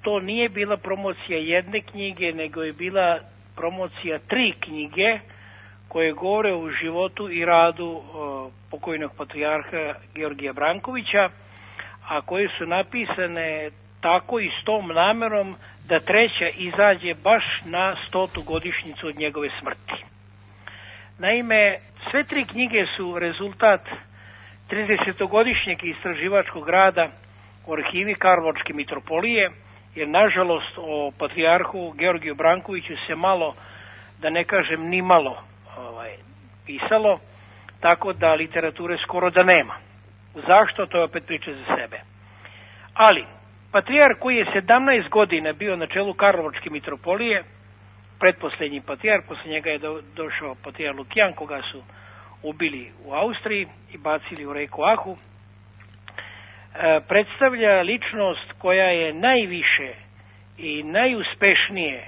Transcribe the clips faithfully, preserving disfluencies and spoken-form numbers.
to nije bila promocija jedne knjige, nego je bila promocija tri knjige koje govore o životu i radu pokojnog patrijarha Georgija Brankovića, a koje su napisane tako i s tom namerom da treća izađe baš na stotu godišnjicu od njegove smrti. Naime, sve tri knjige su rezultat tridesetogodišnjeg istraživačkog rada u arhivi Karlovačke mitropolije, jer nažalost o patrijarhu Georgiju Brankoviću se malo, da ne kažem ni malo, ovaj, pisalo, tako da literature skoro da nema. Zašto? To je opet priča za sebe. Ali, patrijarh koji je sedamnaest godina bio na čelu Karlovačke mitropolije, pretposlednji patrijarh, posle njega je do, došao patrijarh Lukijan, koga su ubili u Austriji i bacili u reku Ahu, e, predstavlja ličnost koja je najviše i najuspešnije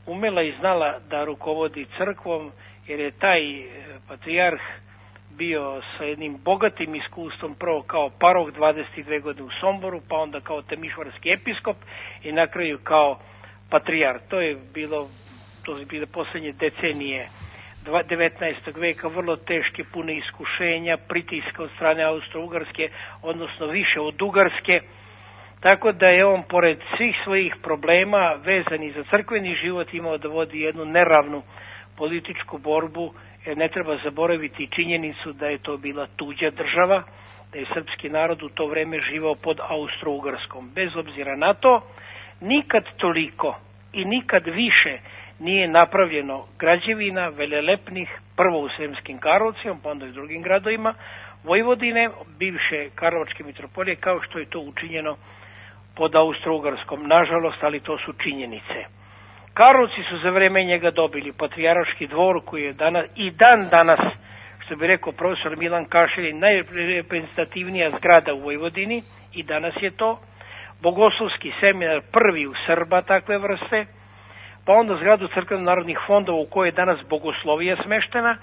umela i znala da rukovodi crkvom, jer je taj patrijarh bio sa jednim bogatim iskustvom, prvo kao parok dvadeset dve godine u Somboru, pa onda kao temišvarski episkop i na kraju kao patrijarh. To je bilo, to je bile posljednje decenije devetnaestog veka, vrlo teške, pune iskušenja, pritiska od strane Austro-Ugarske, odnosno više od Ugarske, tako da je on pored svih svojih problema vezani za crkveni život imao da vodi jednu neravnu političku borbu, jer ne treba zaboraviti činjenicu da je to bila tuđa država, da je srpski narod u to vreme živao pod Austro-Ugarskom. Bez obzira na to, nikad toliko i nikad više nije napravljeno građevina velelepnih, prvo u Sremskim Karlovcima, pa onda i u drugim gradovima Vojvodine, bivše Karlovačke mitropolije, kao što je to učinjeno pod Austro-Ugarskom. Nažalost, ali to su činjenice. Karlovci su za vreme njega dobili patrijarški dvor koji je danas, i dan danas, što bi rekao profesor Milan Kašelj, najreprezentativnija zgrada u Vojvodini, i danas je to, Bogoslovski seminar, prvi u Srba takve vrste, pa onda zgradu crkveno-narodnih fondova u kojoj je danas bogoslovija smeštena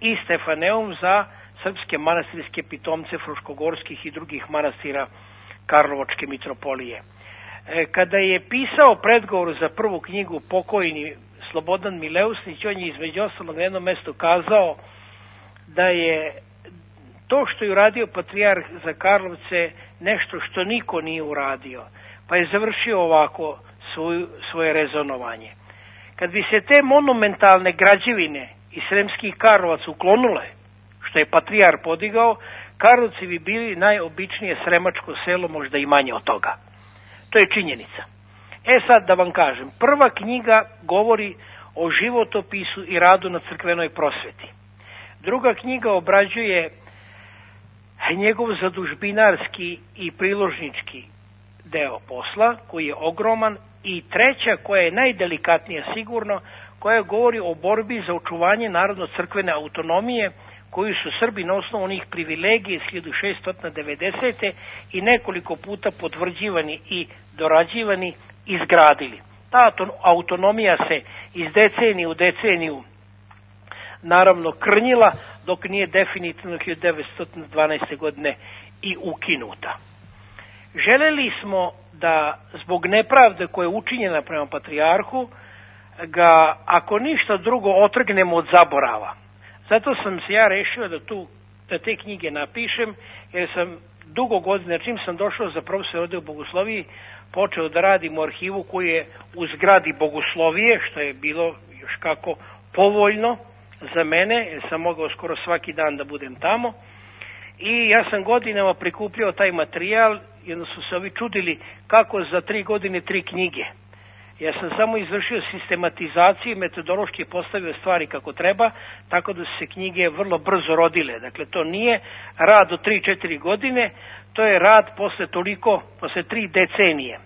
i Stefaneum za srpske manastirske pitomce fruškogorskih i drugih manastira Karlovačke mitropolije. Kada je pisao predgovor za prvu knjigu pokojni Slobodan Mileusnić, on je između ostalog na jednom mestu kazao da je to što je uradio patrijarh za Karlovce nešto što niko nije uradio, pa je završio ovako svoju, svoje rezonovanje. Kad bi se te monumentalne građevine iz Sremskih Karlovaca uklonule, što je patrijarh podigao, Karlovci bi bili najobičnije sremačko selo, možda i manje od toga. To je činjenica. E sad da vam kažem, prva knjiga govori o životopisu i radu na crkvenoj prosveti. Druga knjiga obrađuje njegov zadužbinarski i priložnički deo posla, koji je ogroman, i treća, koja je najdelikatnija sigurno, koja govori o borbi za očuvanje narodno-crkvene autonomije, koju su Srbi na osnovu onih privilegija iz hiljadu šeststo devedesete. i nekoliko puta potvrđivani i dorađivani izgradili. Ta autonomija se iz decenije u deceniju naravno krnjila, dok nije definitivno hiljadu devetsto dvanaeste. godine i ukinuta. Želeli smo da zbog nepravde koja je učinjena prema patrijarhu ga, ako ništa drugo, otrgnemo od zaborava. Zato sam se ja rešio da, tu, da te knjige napišem, jer sam dugo godina, čim sam došao za profesor ovde u Bogosloviji, počeo da radim u arhivu koji je u zgradi Bogoslovije, što je bilo još kako povoljno za mene, jer sam mogao skoro svaki dan da budem tamo. I ja sam godinama prikupljao taj materijal, jedno su se ovi čudili kako za tri godine tri knjige. Ja sam samo izvršio sistematizaciju i metodološki postavio stvari kako treba, tako da su se knjige vrlo brzo rodile. Dakle, to nije rad od tri četiri godine, to je rad posle toliko, posle tri decenije.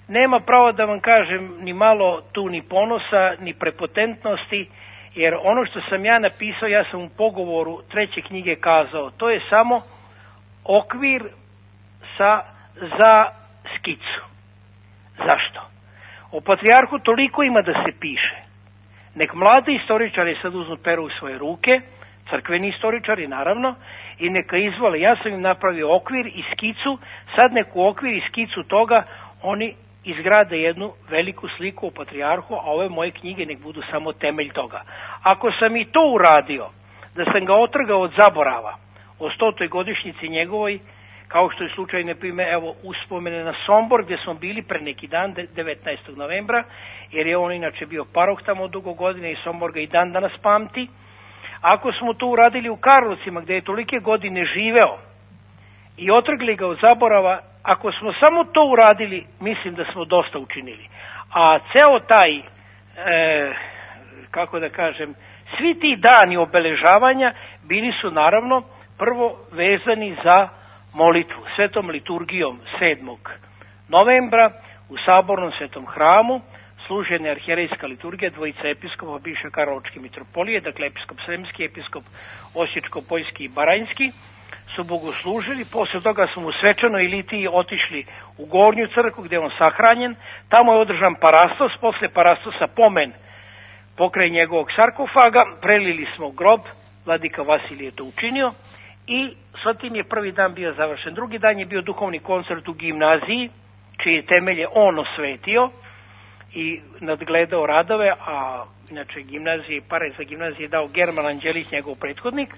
Nema pravo da vam kažem ni malo tu ni ponosa, ni prepotentnosti, jer ono što sam ja napisao, ja sam u pogovoru treće knjige kazao, to je samo okvir sa, za skicu. Zašto? O patrijarhu toliko ima da se piše. Nek mladi istoričari sad uzmu peru u svoje ruke, crkveni istoričari naravno, i neka izvole. Ja sam im napravio okvir i skicu, sad neku okvir i skicu toga oni izgrade jednu veliku sliku o patrijarhu, a ove moje knjige nek budu samo temelj toga. Ako sam i to uradio, da sam ga otrgao od zaborava o stotoj godišnjici njegovoj, kao što je slučaj, na primjer, evo, uspomene na Sombor, gdje smo bili pre neki dan, devetnaestog novembra, jer je on inače bio paroh tamo dugo godine i Sombor ga i dan danas pamti. Ako smo to uradili u Karlovcima, gdje je tolike godine živeo i otrgli ga od zaborava, ako smo samo to uradili, mislim da smo dosta učinili. A ceo taj, e, kako da kažem, svi ti dani obeležavanja bili su naravno prvo vezani za molitvu svetom liturgijom sedmog novembra u Sabornom svetom hramu, služena arhijerejska liturgija, dvojica episkopa bivše Karlovačke mitropolije, dakle episkop Sremski, episkop Osječko-Poljski i Baranjski, su bogoslužili. Posle toga smo u svečanoj litiji otišli u Gornju crkvu gdje je on sahranjen. Tamo je održan parastos, posle parastosa pomen pokraj njegovog sarkofaga, prelili smo grob, vladika Vasilije je to učinio i sa tim je prvi dan bio završen. Drugi dan je bio duhovni koncert u gimnaziji, čije temelje on osvetio i nadgledao radove, a inače gimnazije, pare za gimnazije je dao German Anđelić, njegov prethodnik,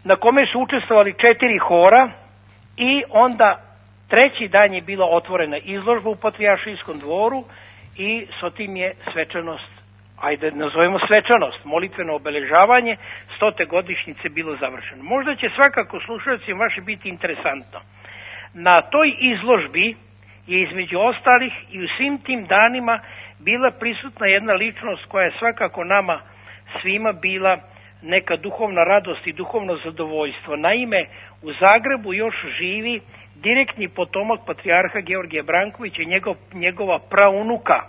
na kome su učestvovali četiri hora i onda treći dan je bila otvorena izložba u Patrijaršijskom dvoru i sa tim je svečanost, ajde nazovemo svečanost, molitveno obeležavanje stote godišnjice bilo završeno. Možda će svakako slušalcima vaši biti interesantno. Na toj izložbi je između ostalih i u svim tim danima bila prisutna jedna ličnost koja je svakako nama svima bila neka duhovna radost i duhovno zadovoljstvo. Naime, u Zagrebu još živi direktni potomak patrijarha Georgija Brankovića i njegov, njegova praunuka,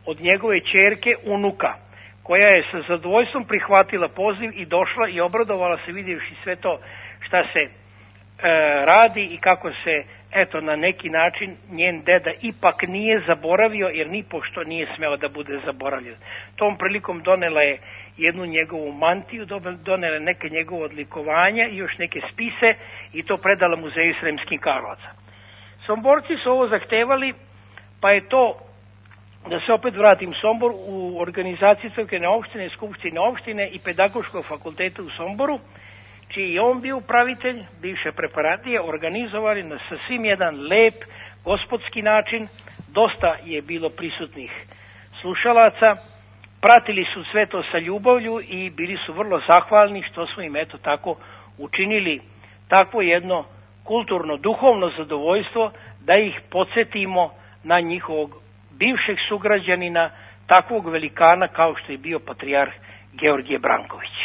od njegove ćerke unuka, koja je sa zadovoljstvom prihvatila poziv i došla i obradovala se vidjevši sve to šta se e, radi i kako se, eto, na neki način njen deda ipak nije zaboravio, jer ni pošto nije smeo da bude zaboravljen. Tom prilikom donela je jednu njegovu mantiju, donela neke njegove odlikovanja i još neke spise i to predala Muzeju Sremskih Karlovaca. Somborci su ovo zahtevali, pa je to, da se opet vratim, Sombor u organizaciji crkvene opštine, skupštine opštine i pedagoškog fakulteta u Somboru, čiji je on bio upravitelj, bivše preparatije, organizovali na sasvim jedan lep, gospodski način. Dosta je bilo prisutnih slušalaca, pratili su sve to sa ljubavlju i bili su vrlo zahvalni što smo im eto tako učinili takvo jedno kulturno, duhovno zadovoljstvo da ih podsjetimo na njihovog bivšeg sugrađanina, takvog velikana kao što je bio patrijarh Georgije Branković.